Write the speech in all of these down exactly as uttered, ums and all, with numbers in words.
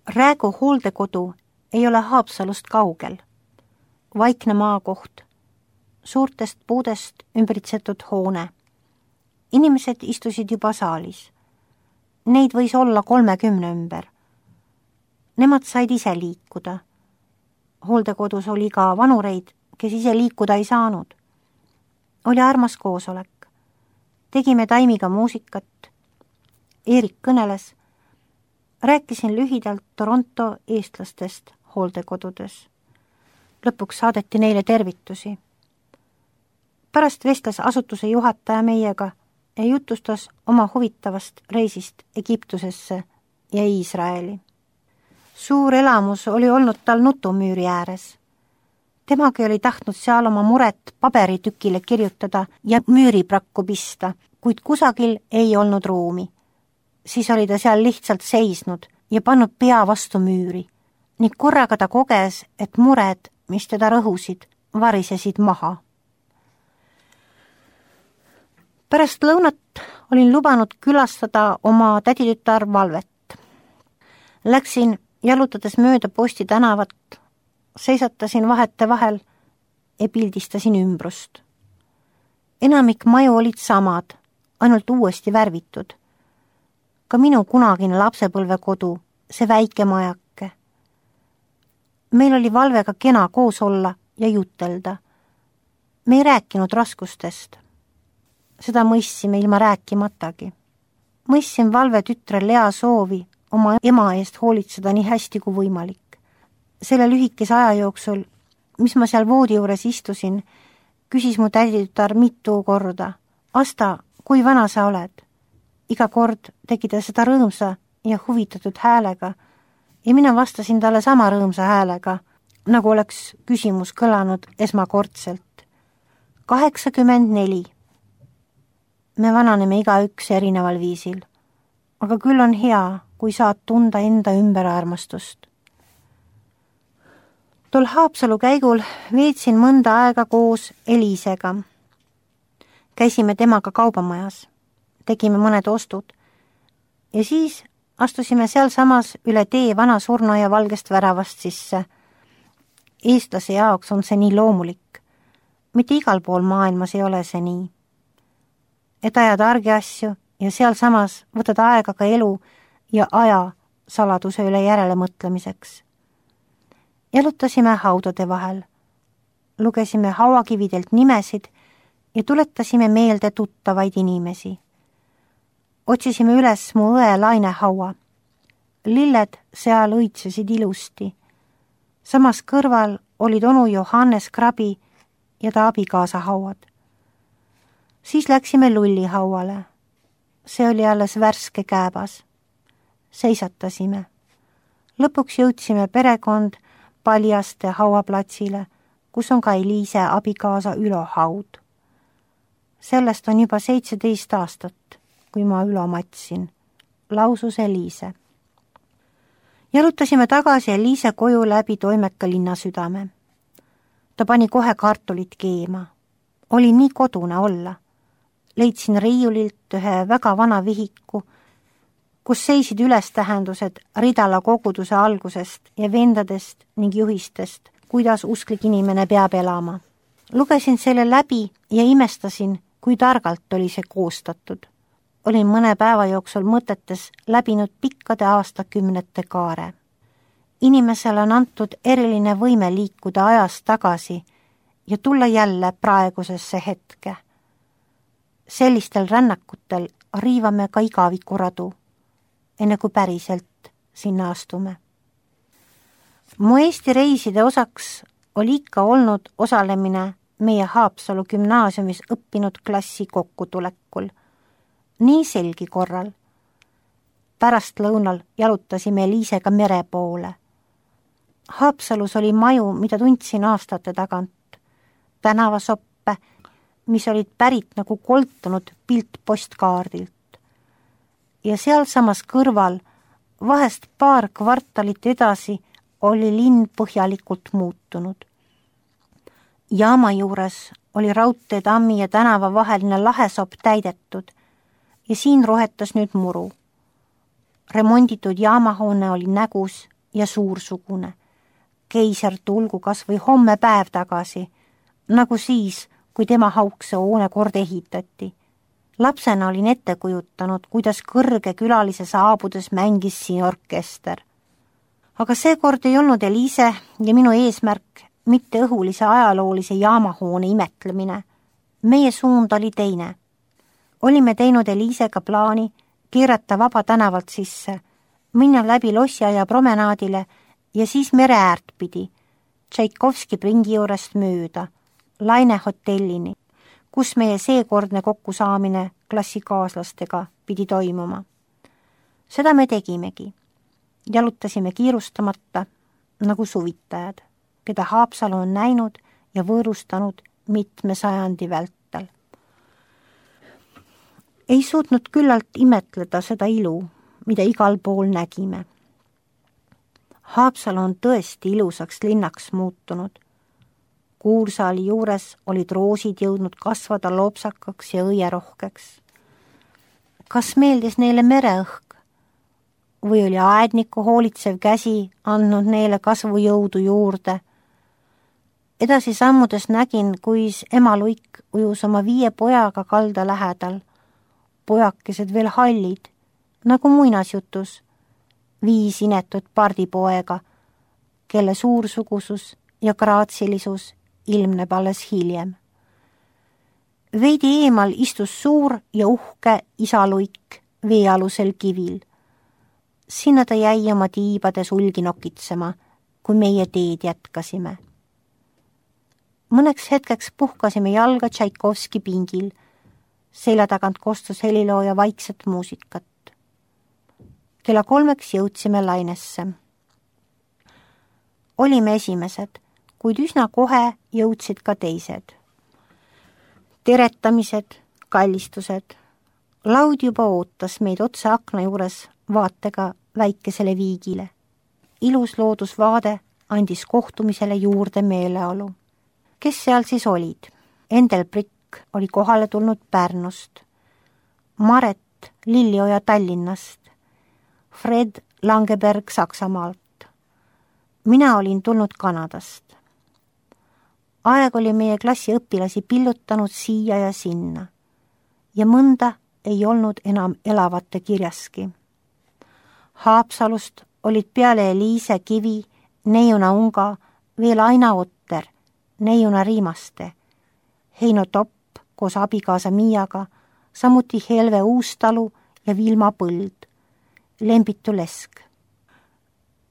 Räägu hooldekodu ei ole Haapsalust kaugel. Vaikne maakoht, suurtest puudest ümbritsetud hoone. Inimesed istusid juba saalis. Neid võis olla kolmekümne ümber. Nemad said ise liikuda. Hooldekodus oli ka vanureid, kes ise liikuda ei saanud. Oli armas koosolek. Tegime Taimiga muusikat. Eerik kõneles. Rääkisin lühidalt Toronto eestlastest hooldekodudes. Lõpuks saadeti neile tervitusi. Pärast vestles asutuse juhataja meiega ja jutustas oma huvitavast reisist Egiptusesse ja Iisraeli. Suur elamus oli olnud tal nutumüüri ääres. Temagi oli tahtnud seal oma muret paberitükile kirjutada ja müüriprakku pista, kuid kusagil ei olnud ruumi. Siis oli ta seal lihtsalt seisnud ja pannud pea vastu müüri ning korraga ta koges, et mured, mis teda rõhusid, varisesid maha. Pärast lõunat olin lubanud külastada oma täditütar Valvet. Läksin jalutades mööda Posti tänavat, seisatasin vahete vahel ja pildistasin ümbrust. Enamik maju olid samad, ainult uuesti värvitud. Ka minu kunagine lapsepõlvekodu, see väike majake. Meil oli Valvega kena koos olla ja jutelda. Me ei rääkinud raskustest. Seda mõistsime ilma rääkimatagi. Mõistsin Valve tütre Lea soovi oma ema eest hoolitseda nii hästi kui võimalik. Selle lühikese aja jooksul, mis ma seal voodi juures istusin, küsis mu täditütar mitu korda. Asta, kui vana sa oled? Iga kord tegi ta seda rõõmsa ja huvitatud häälega ja mina vastasin talle sama rõõmsa häälega, nagu oleks küsimus kõlanud esmakordselt. kaheksakümmend neli. Me vananeme igaüks erineval viisil, aga küll on hea, kui saad tunda enda ümber armastust. Tol Haapsalu käigul veetsin mõnda aega koos Eliisega. Käisime temaga kaubamajas, tegime mõned ostud ja siis astusime seal samas üle tee vana surnuaia valgest väravast sisse. Eestlase jaoks on see nii loomulik. Mitte igal pool maailmas ei ole see nii. Et ajad argi asju ja seal samas võtad aega ka elu ja aja saladuse üle järele mõtlemiseks. Jalutasime haudade vahel, lugesime hauakividelt nimesid ja tuletasime meelde tuttavaid inimesi. Otsisime üles mu õe Laine haua. Lilled seal õitsesid ilusti. Samas kõrval olid onu Johannes Krabi ja ta abikaasa hauad. Siis läksime Lulli hauale. See oli alles värske kääbas. Seisatasime. Lõpuks jõudsime perekond Paljaste hauaplatsile, kus on ka Eliise abikaasa Ülo haud. Sellest on juba seitseteist aastat, kui ma Ülo matsin, lausus Eliise. Jalutasime tagasi Eliise koju läbi toimeka linnasüdame. Ta pani kohe kartulit keema. Oli nii kodune olla. Leidsin riiulilt ühe väga vana vihiku, kus seisid ülestähendused Ridala koguduse algusest ja vendadest ning juhistest, kuidas usklik inimene peab elama. Lugesin selle läbi ja imestasin, kui targalt oli see koostatud. Olin mõne päeva jooksul mõtetes läbinud pikkade aastakümnete kaare. Inimesele on antud eriline võime liikuda ajas tagasi ja tulla jälle praegusesse hetke. Sellistel rännakutel riivame ka igavikuradu, enne kui päriselt sinna astume. Mu Eesti reiside osaks oli ikka olnud osalemine meie Haapsalu gümnaasiumis õppinud klassi kokkutulekul. Nii selgi korral. Pärast lõunal jalutasime Eliisega mere poole. Haapsalus oli maju, mida tundsin aastate tagant. Tänavasoppe, mis olid pärit nagu koltunud pilt postkaardilt. Ja seal samas kõrval, vahest paar kvartalit edasi, oli linn põhjalikult muutunud. Jaama juures oli raudteetammi ja tänava vaheline lahesopp täidetud ja siin rohetas nüüd muru. Remonditud jaamahoone oli nägus ja suursugune. Keiser tulgu kas või homme päev tagasi, nagu siis, kui tema haukse hoone kord ehitati. Lapsena olin ette kujutanud, kuidas kõrge külalise saabudes mängis siin orkester. Aga seekord ei olnud Eliise ja minu eesmärk mitte õhulise ajaloolise jaamahoone imetlemine. Meie suund oli teine. Olime teinud Eliisega plaani keerata Vaba tänavalt sisse, minna läbi Lossiaia promenaadile ja siis mere äärt pidi, Tšaikovski pringi juurest mööda, Laine hotellini, kus meie seekordne kokkusaamine klassikaaslastega pidi toimuma. Seda me tegimegi. Jalutasime kiirustamata nagu suvitajad, keda Haapsalu on näinud ja võõrustanud mitme sajandi vältel. Ei suutnud küllalt imetleda seda ilu, mida igal pool nägime. Haapsalu on tõesti ilusaks linnaks muutunud. Kuursaali juures olid roosid jõudnud kasvada loopsakaks ja õierohkeks. Kas meeldis neile mereõhk? Või oli aedniku hoolitsev käsi andnud neile kasvujõudu juurde? Edasi sammudes nägin, kuis ema Luik ujus oma viie pojaga kalda lähedal. Pojakesed veel hallid, nagu muinasjutus, viis inetut pardipoega, kelle suursugusus ja graatsilisus ilmneb alles hiljem. Veidi eemal istus suur ja uhke isa Luik veealusel kivil. Sinna ta jäi oma tiibade sulgi nokitsema, kui meie teed jätkasime. Mõneks hetkeks puhkasime jalga Tšaikovski pingil, selja tagant kostus helilooja vaikset muusikat. Kella kolmeks jõudsime Lainesse. Olime esimesed, kuid üsna kohe jõudsid ka teised. Teretamised, kallistused. Laud juba ootas meid otse akna juures vaatega väikesele viigile. Ilus loodusvaade andis kohtumisele juurde meeleolu. Kes seal siis olid? Endel Prikk oli kohale tulnud Pärnust, Maret Lillioja Tallinnast, Fred Langeberg Saksamaalt. Mina olin tulnud Kanadast. Aeg oli meie klassi õpilasi pillutanud siia ja sinna ja mõnda ei olnud enam elavate kirjaski. Haapsalust olid peale Eliise Kivi, Neiuna Unga, veel Aina Otter, Neiuna Riimaste, Heino Topp koos abikaasa Miiaga, samuti Helve Uustalu ja Vilma Põld, Lembitu Lesk.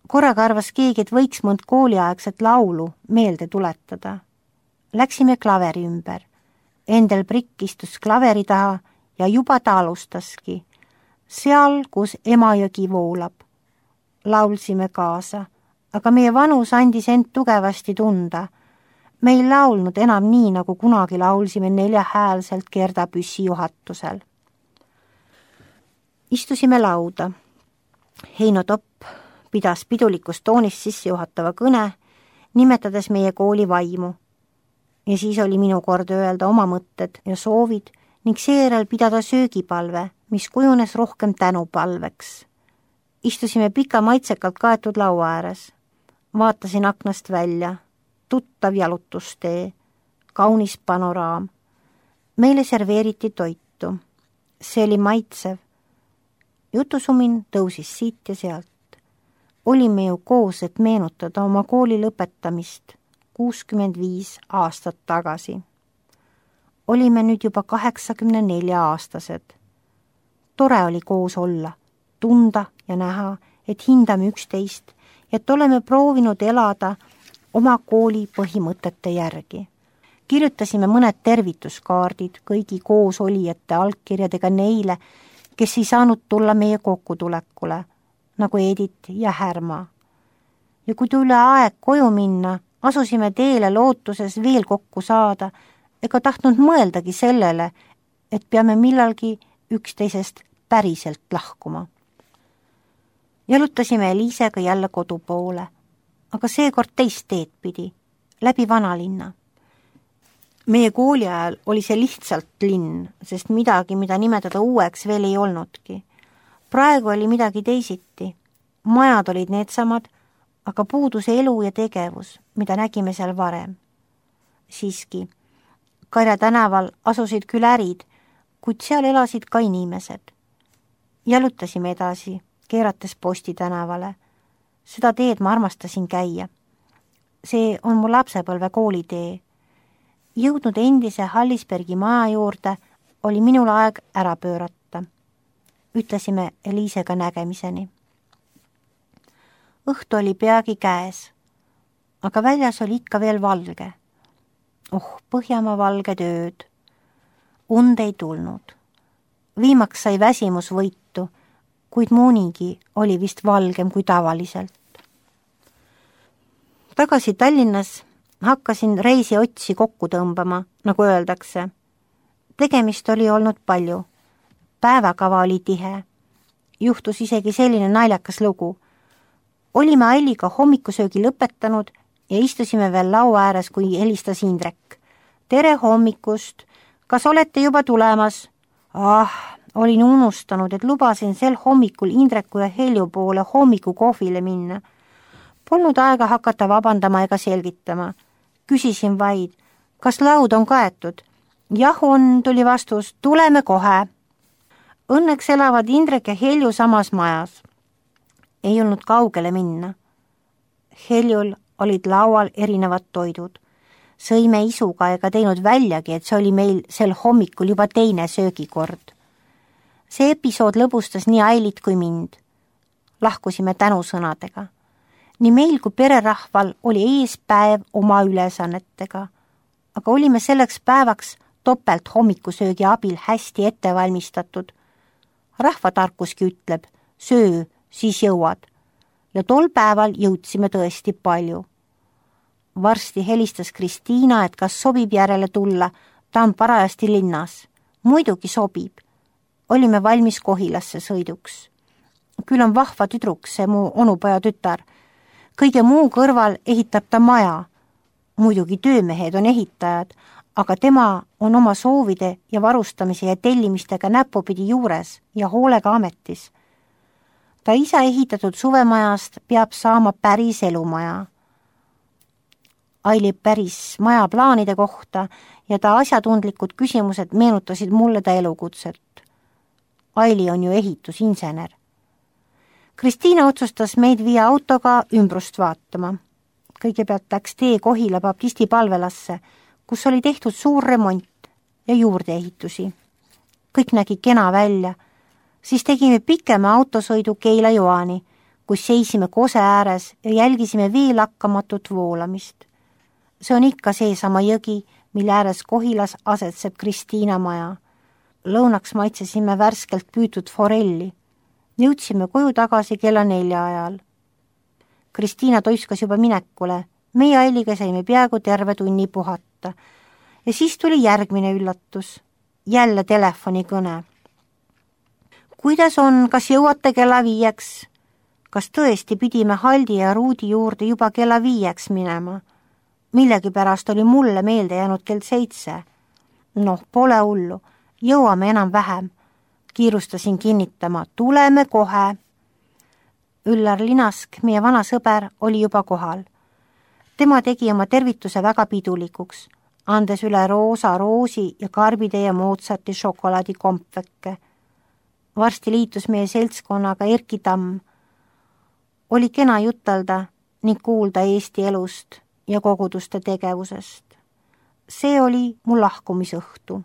Korraga arvas keegi, et võiks mõnd kooliaegset laulu meelde tuletada. Läksime klaveri ümber. Endel Prikk istus klaveri taha ja juba ta alustaski. Seal, kus Emajõgi voolab. Laulsime kaasa, aga meie vanus andis end tugevasti tunda. Me ei laulnud enam nii, nagu kunagi laulsime neljahäälselt Gerda Püssi juhatusel. Istusime lauda. Heino Topp pidas pidulikus toonis sissejuhatava kõne, nimetades meie kooli vaimu. Ja siis oli minu kord öelda oma mõtted ja soovid ning seejärel pidada söögipalve, mis kujunes rohkem tänupalveks. Istusime pika maitsekalt kaetud laua ääres. Vaatasin aknast välja. Tuttav jalutustee. Kaunis panoraam. Meile serveeriti toitu. See oli maitsev. Jutusumin tõusis siit ja sealt. Olime ju koos, et meenutada oma kooli lõpetamist kuuskümmend viis aastat tagasi. Olime nüüd juba kaheksakümne nelja aastased. Tore oli koos olla, tunda ja näha, et hindame üksteist ja et oleme proovinud elada oma kooli põhimõtete järgi. Kirjutasime mõned tervituskaardid kõigi koosolijate allkirjadega neile, kes ei saanud tulla meie kokkutulekule, nagu Edith ja Härma. Ja kui tuli aeg koju minna, asusime teele lootuses veel kokku saada, ega tahtnud mõeldagi sellele, et peame millalgi üksteisest päriselt lahkuma. Jalutasime Eliisega jälle kodu poole, aga seekord teist teed pidi, läbi vanalinna. Meie kooli ajal oli see lihtsalt linn, sest midagi, mida nimetada uueks, veel ei olnudki. Praegu oli midagi teisiti. Majad olid needsamad, aga puudus elu ja tegevus, mida nägime seal varem. Siiski, Karja tänaval asusid küll ärid, kuid seal elasid ka inimesed. Jalutasime edasi, keerates Posti tänavale. Seda teed ma armastasin käia. See on mu lapsepõlve koolitee. Jõudnud endise Hallisbergi maja juurde, oli minul aeg ära pöörata. Ütlesime Eliisega nägemiseni. Õhtu oli peagi käes, aga väljas oli ikka veel valge. Oh, Põhjamaa valged ööd. Und ei tulnud. Viimaks sai väsimus võitu, kuid muunigi oli vist valgem kui tavaliselt. Tagasi Tallinnas hakkasin reisi otsi kokku tõmbama, nagu öeldakse. Tegemist oli olnud palju. Päevakava oli tihe. Juhtus isegi selline naljakas lugu. Olime Ailiga hommikusöögi lõpetanud ja istusime veel laua ääres, kui helistas Indrek. Tere hommikust! Kas olete juba tulemas? Ah, olin unustanud, et lubasin sel hommikul Indreku ja Helju poole hommikukohvile minna. Polnud aega hakata vabandama ega selgitama. Küsisin vaid, kas laud on kaetud? Jah on, tuli vastus, tuleme kohe. Õnneks elavad Indrek ja Helju samas majas. Ei olnud kaugele minna. Heljul olid laual erinevad toidud. Sõime isuga ega teinud väljagi, et see oli meil sel hommikul juba teine söögikord. See episood lõbustas nii Ailit kui mind. Lahkusime tänusõnadega. Nii meil kui pererahval oli ees päev oma ülesannetega, aga olime selleks päevaks topelt hommikusöögi abil hästi ette valmistatud. Rahvatarkuski ütleb, söö, siis jõuad. Ja tol päeval jõudsime tõesti palju. Varsti helistas Kristiina, et kas sobib järele tulla, ta on parajasti linnas. Muidugi sobib. Olime valmis Kohilasse sõiduks. Küll on vahva tüdruk, see mu onupoja tütar. Kõige muu kõrval ehitab ta maja. Muidugi töömehed on ehitajad, aga tema on oma soovide ja varustamise ja tellimistega näpupidi juures ja hoolega ametis. Ta isa ehitatud suvemajast peab saama päris elumaja. Aili päris maja plaanide kohta ja ta asjatundlikud küsimused meenutasid mulle ta elukutset. Aili on ju ehitusinsener. Kristiina otsustas meid viia autoga ümbrust vaatama. Kõigepealt läks tee Kohila baptisti palvelasse, kus oli tehtud suur remont ja juurdeehitusi. Kõik nägi kena välja. Siis tegime pikema autosõidu Keila-Joani, kus seisime kose ääres ja jälgisime vee lakkamatut voolamist. See on ikka seesama jõgi, mille ääres Kohilas asetseb Kristiina maja. Lõunaks maitsesime värskelt püütud forelli. Jõudsime koju tagasi kella nelja ajal. Kristiina toiskas juba minekule. Meie Ailiga saime peaaegu terve tunni puhata. Ja siis tuli järgmine üllatus. Jälle telefonikõne. Kuidas on, kas jõuate kella viieks? Kas tõesti pidime Haldi ja Ruudi juurde juba kella viieks minema? Millegi pärast oli mulle meelde jäänud kell seitse. Noh, pole hullu. Jõuame enam vähem. Kiirustasin kinnitama. Tuleme kohe. Üllar Linask, meie vana sõber, oli juba kohal. Tema tegi oma tervituse väga pidulikuks, andes üle roosa roosi ja karbide ja Mozarti šokolaadikompvekke. Varsti liitus meie seltskonnaga Erki Tamm. Oli kena jutelda ning kuulda Eesti elust ja koguduste tegevusest. See oli mu lahkumisõhtu.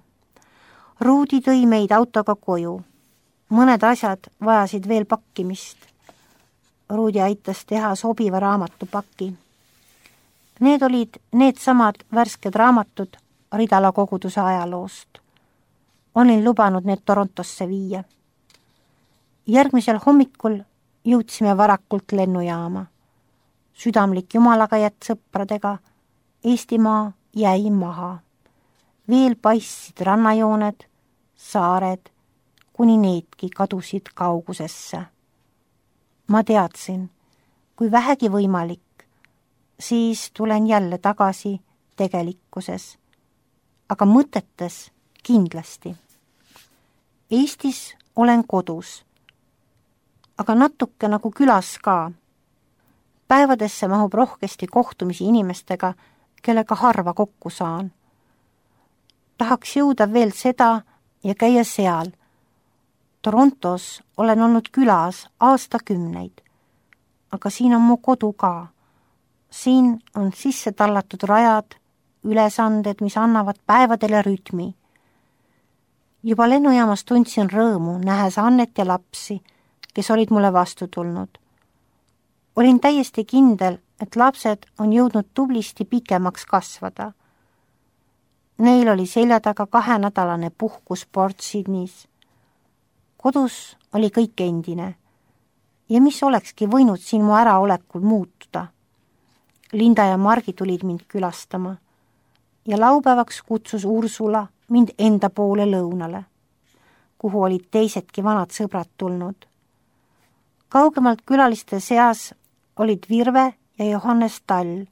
Ruudi tõi meid autoga koju. Mõned asjad vajasid veel pakkimist. Ruudi aitas teha sobiva raamatupaki. Need olid need samad värsked raamatud Ridala koguduse ajaloost. Olin lubanud need Torontosse viia. Järgmisel hommikul jõudsime varakult lennujaama. Südamlik jumalaga jätt sõpradega, Eestimaa jäi maha. Veel paistsid rannajooned, saared, kuni needki kadusid kaugusesse. Ma teadsin, kui vähegi võimalik, siis tulen jälle tagasi tegelikkuses, aga mõtetes kindlasti. Eestis olen kodus, aga natuke nagu külas ka. päevadesse mahub rohkesti kohtumisi inimestega, kellega harva kokku saan. Tahaks jõuda veel seda ja käia seal. Torontos olen olnud külas aastakümneid, aga siin on mu kodu ka. Siin on sisse tallatud rajad, ülesanded, mis annavad päevadele rütmi. Juba lennujaamas tundsin rõõmu, nähes Annet ja lapsi, kes olid mulle vastu tulnud. Olin täiesti kindel, et lapsed on jõudnud tublisti pikemaks kasvada. Neil oli selja taga kahenädalane puhkus Port Sydneys. Kodus oli kõik endine ja mis olekski võinud siin mu äraolekul muutuda. Linda ja Margi tulid mind külastama ja laupäevaks kutsus Ursula mind enda poole lõunale, kuhu olid teisedki vanad sõbrad tulnud. Kaugemalt külaliste seas olid Virve ja Johannes Tall.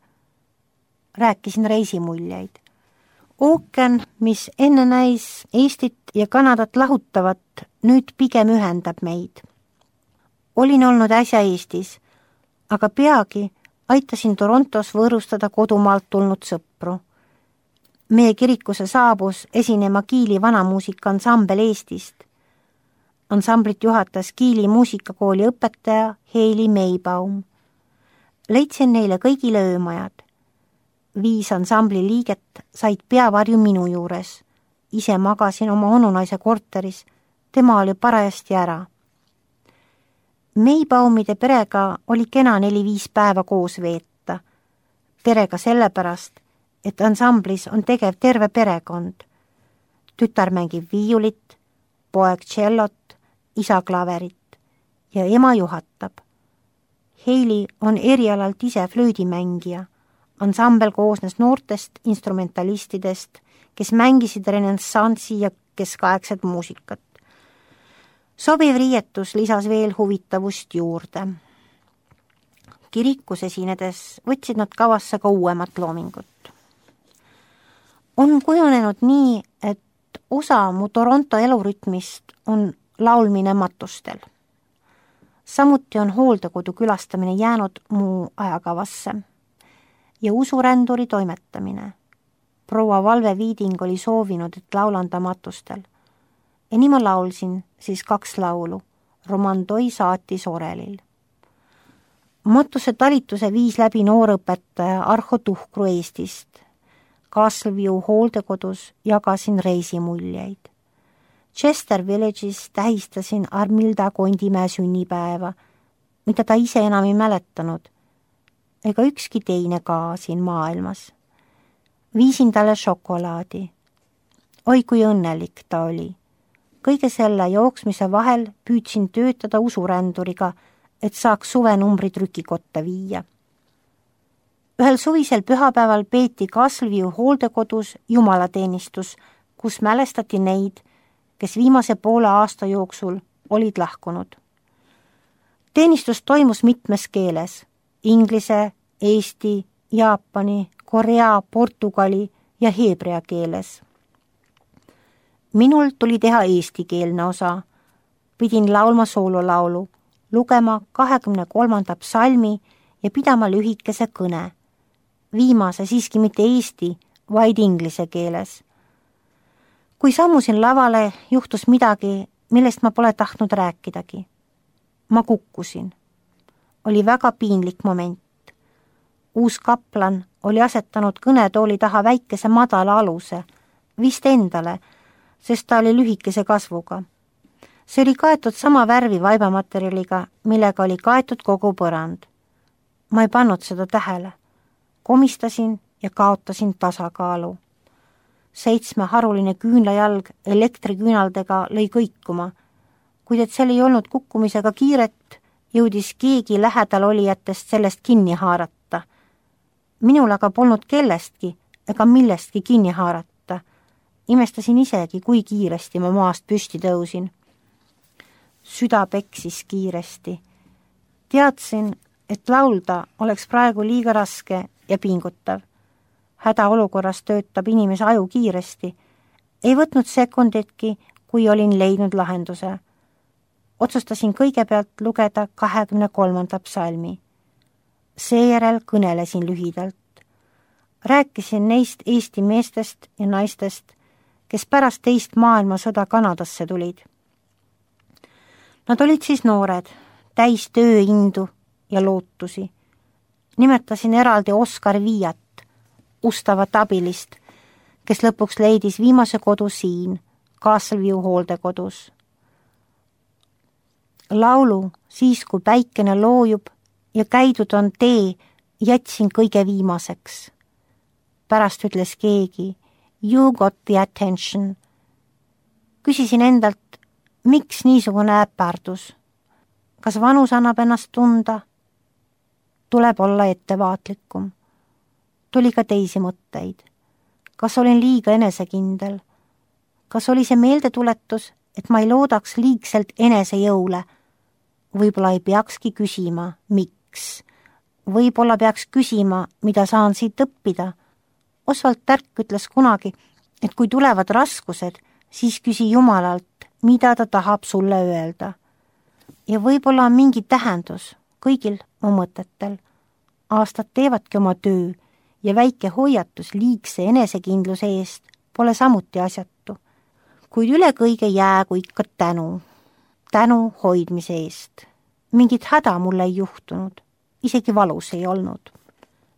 Rääkisin reisimuljeid. Ookean, mis enne näis Eestit ja Kanadat lahutavat, nüüd pigem ühendab meid. Olin olnud äsja Eestis, aga peagi aitasin Torontos võõrustada kodumaalt tulnud sõpru. Meie kirikusse saabus esinema Kiili vanamuusika ansambel Eestist. Ansamblit juhatas Kiili muusikakooli õpetaja Heili Meibaum. Leidsin neile kõigile öömajad. Viis ansambli liiget said peavarju minu juures. Ise magasin oma onunaise korteris, tema oli parajasti ära. Meibaumide perega oli kena neli-viis päeva koos veeta. Perega sellepärast, et ansamblis on tegev terve perekond. Tütar mängib viiulit, poeg tšellot, isa klaverit ja ema juhatab. Heili on erialalt ise flöödimängija. Ansambel koosnes noortest instrumentalistidest, kes mängisid renessanssi ja keskaegset muusikat. Sobiv riietus lisas veel huvitavust juurde. Kirikus esinedes võtsid nad kavasse ka uuemat loomingut. On kujunenud nii, et osa mu Toronto elurütmist on laulmine matustel. Samuti on hooldekodu külastamine jäänud mu ajakavasse ja usuränduri toimetamine. Proua Valve Viiding oli soovinud, et laulan ta matustel. Ja nii ma laulsin siis kaks laulu, Romandoi saatis Orelil. Matuse talituse viis läbi noorõpetaja Arho Tuhkru Eestist. Castleview hooldekodus jagasin reisimuljeid. Chester Village'is tähistasin Armilda Kondimäe sünnipäeva, mida ta ise enam ei mäletanud, ega ükski teine ka siin maailmas. Viisin talle šokolaadi. Oi, kui õnnelik ta oli. Kõige selle jooksmise vahel püüdsin töötada usuränduriga, et saaks suvenumbri trükikotta viia. Ühel suvisel pühapäeval peeti Castleview hooldekodus jumalateenistus, kus mälestati neid, kes viimase poole aasta jooksul olid lahkunud. Teenistus toimus mitmes keeles, inglise, eesti, jaapani, korea, portugali ja heebrea keeles. Minul tuli teha eestikeelne osa. Pidin laulma soololaulu, lugema kahekümne kolmanda psalmi ja pidama lühikese kõne. Viimase siiski mitte eesti, vaid inglise keeles. Kui sammusin lavale, juhtus midagi, millest ma pole tahtnud rääkidagi. Ma kukkusin. Oli väga piinlik moment. Uus kaplan oli asetanud kõnetooli taha väikese madala aluse, vist endale, sest ta oli lühikese kasvuga. See oli kaetud sama värvi vaibamaterjaliga, millega oli kaetud kogu põrand. Ma ei pannud seda tähele. Komistasin ja kaotasin tasakaalu. Seitsme haruline küünlajalg elektriküünaldega lõi kõikuma, kuid et seal ei olnud kukkumisega kiiret, jõudis keegi lähedal olijatest sellest kinni haarata. Minul aga polnud kellestki ega millestki kinni haarata. Imestasin isegi, kui kiiresti ma maast püsti tõusin. Süda peksis kiiresti. Teadsin, et laulda oleks praegu liiga raske ja pingutav. Hädaolukorras töötab inimese aju kiiresti. Ei võtnud sekunditki, kui olin leidnud lahenduse. Otsustasin kõigepealt lugeda kahekümne kolmanda psalmi. Seejärel kõnelesin lühidalt. Rääkisin neist Eesti meestest ja naistest, kes pärast teist maailmasõda Kanadasse tulid. Nad olid siis noored, täis tööindu ja lootusi. Nimetasin eraldi Oskar Viiat, ustavat abilist, kes lõpuks leidis viimase kodu siin, Castleview hooldekodus. Laulu Siis, kui päikene loojub ja käidud on tee, jätsin kõige viimaseks. Pärast ütles keegi, you got the attention. Küsisin endalt, miks niisugune äpardus? Kas vanus annab ennast tunda? Tuleb olla ettevaatlikum. Tuli ka teisi mõtteid. Kas olin liiga enesekindel? Kas oli see meeldetuletus, et ma ei loodaks liigselt enesejõule? Võib-olla ei peakski küsima, miks? Võib-olla peaks küsima, mida saan siit õppida? Oswald Tärk ütles kunagi, et kui tulevad raskused, siis küsi Jumalalt, mida ta tahab sulle öelda. Ja võib-olla on mingi tähendus kõigil mu mõtetel. Aastad teevadki oma töö ja väike hoiatus liigse enesekindluse eest pole samuti asjatu. Kuid üle kõige jäägu ikka tänu. Tänu hoidmise eest. Mingit häda mulle ei juhtunud, isegi valus ei olnud.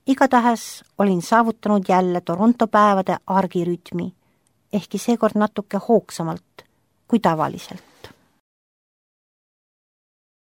Igatahes olin saavutanud jälle Toronto päevade argirütmi, ehkki seekord natuke hoogsamalt kui tavaliselt.